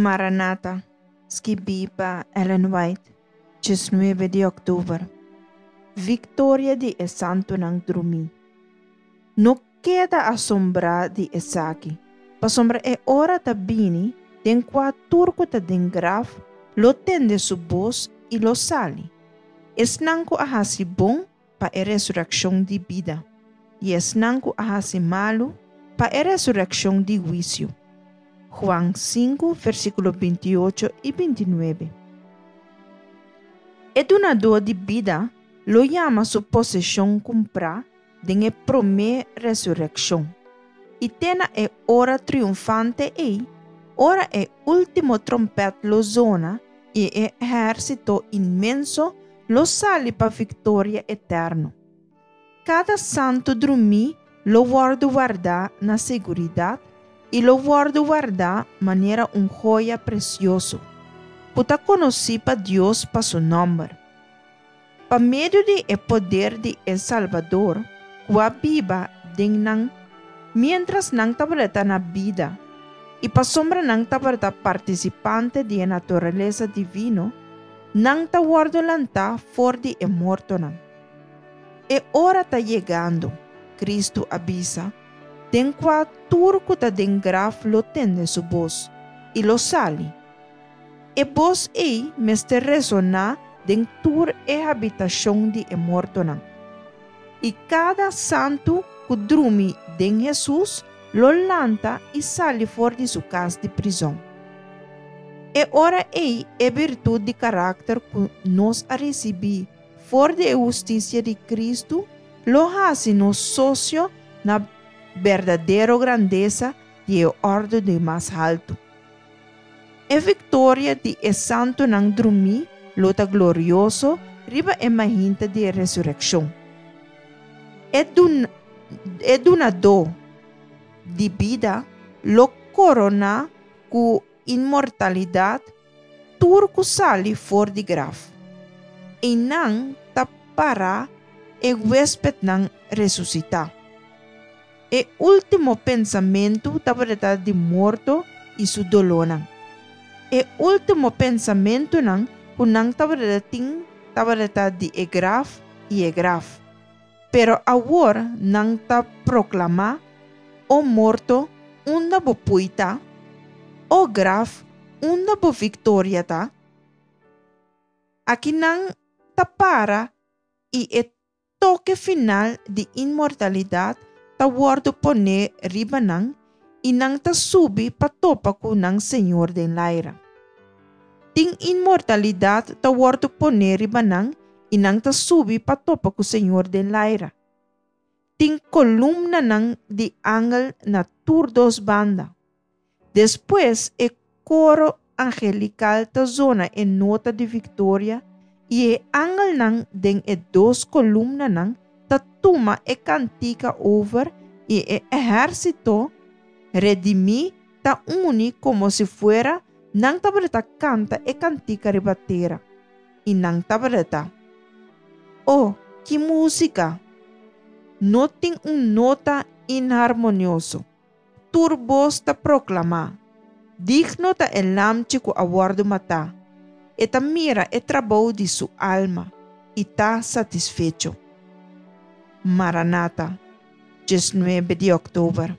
Maranata, skibí pa Ellen White, 19 di òktober. Viktoria di e santunan drumí. No keda asombrá di esaki, pasobra e ora ta bini den kua tur ku ta den graf lo tende su bos i lo sali, esnan ku a hasi bon pa e resurekshon di bida, i esnan ku a hasi malu pa e resurekshon di huisio. Juan 5, versíkulo 28 i 29. E Dunadó di bida lo yama su poseshon kumprá den e promé resurekshon. I te na e ora triunfante ei, ora e último trompèt lo zona i e ehérsito inmenso lo sali pa viktoria eterno. Kada santu drumí lo wòrdu wardá na seguridat i lo wòrdu wardá manera un hoya presioso, ku ta konosí pa Dios pa su nòmber. Pa medio di e poder di e Salbador ku a biba den nan miéntras nan tabata na bida i pasobra nan tabata partisipante di e naturalesa divino, nan ta wòrdu lantá for di e mortonan. E ora ta yegando, Kristu a bisa, den kua tur ku ta den graf lo tende su bos i lo sali. E bos ei mester resoná den tur e habitashon di e mortonan. I kada santu ku drumi den Hesus lo lanta i sali for di su kas di prizòn. E ora ei e birtut di karakter ku nos a risibí for di e hustisia di Kristu lo hasi nos sosio na berdadero grandesa di e òrdu di mas haltu. E viktoria di e santunan drumí lo ta glorioso riba e mainta di e resurekshon. E e Dunadó di bida lo koroná ku inmortalidat tur ku sali for di graf. Einan ta pará e huéspetnan resusitá. E último pensamentu tabata di morto i su dolónan. E último pensamentunan ku nan tabata tin tabata di e graf i e graf. Pero awor nan ta proklamá, O morto, unda bo pui ta? O graf, unda bo viktoria ta? Aki nan ta para i e toke final di inmortalidat ta wòrdu poné riba nan i nan ta subi pa topa ku nan Señor den laira. Tin inmortalidat ta wòrdu poné riba nan i nan ta subi pa topa ku Señor den laira. Tin kolumnanan di angel na tur dos banda. Despues e koro angelikal ta zona e nota di viktoria i e angelnan den e dos kolumnanan ta tuma e kantika over i e ehérsito redimí ta uni komo si fuera nan tabata kanta e kantika riba tera. I nan tabata, O, ki músika! No tin un nota inharmonioso. Tur bos ta proklamá, Digno ta e Lamchi ku a wòrdu matá. E ta mira e trabou di su alma i ta satisfecho. Maranata, 19 di òktober.